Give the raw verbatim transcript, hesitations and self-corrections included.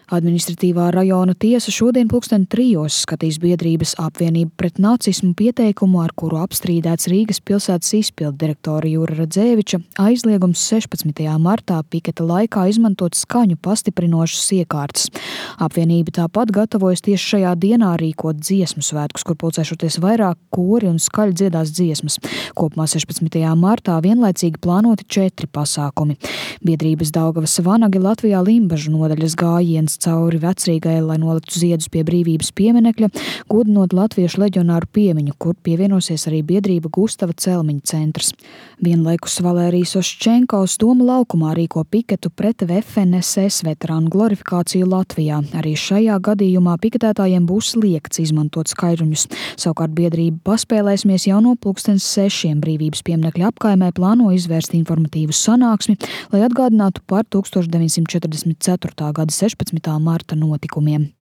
Administratīvā rajona tiesa šodien pulksten trijos skatīs biedrības Apvienība pret nacismu pieteikumu, ar kuru apstrīdēts Rīgas pilsētas izpildu direktora Jura Radzēviča aizliegums sešpadsmitajā martā piketa laikā izmantot skaņu pastiprinošas iekārtas. Apvienība tāpat gatavojas tieši šajā dienā rīkot dziesmu svētkus, kur pulcēšoties vairāk kori un skaļi dziedās dziesmas. Kopumā sešpadsmitajā martā vienlaicīgi plānoti četri pasākumi. Biedrības Daugavas vanagi Latvijā Limbažu nodaļas gājiens cauri Vecrīgai, lai noliktu ziedus pie brīvības pieminekļa, godinot latviešu leģionāru piemiņu, kur pievienosies arī biedrība Gustava Celmiņa centrs. Vienlaikus Valērijas Oščenkovs Doma laukumā rīko piketu pret V F N S S veterānu glorifikāciju Latvijā. Arī šajā gadījumā piketētājiem būs liegts izmantot skaidruņus. Savukārt biedrība Paspēlēsimies jau no pulkstens sešiem brīvības pieminekļa apkaimē plāno izvērst informatīvu sanāksmi, lai atgādinātu par deviņdesmit četrdesmit ceturtā gada sešpadsmitā marta notikumiem.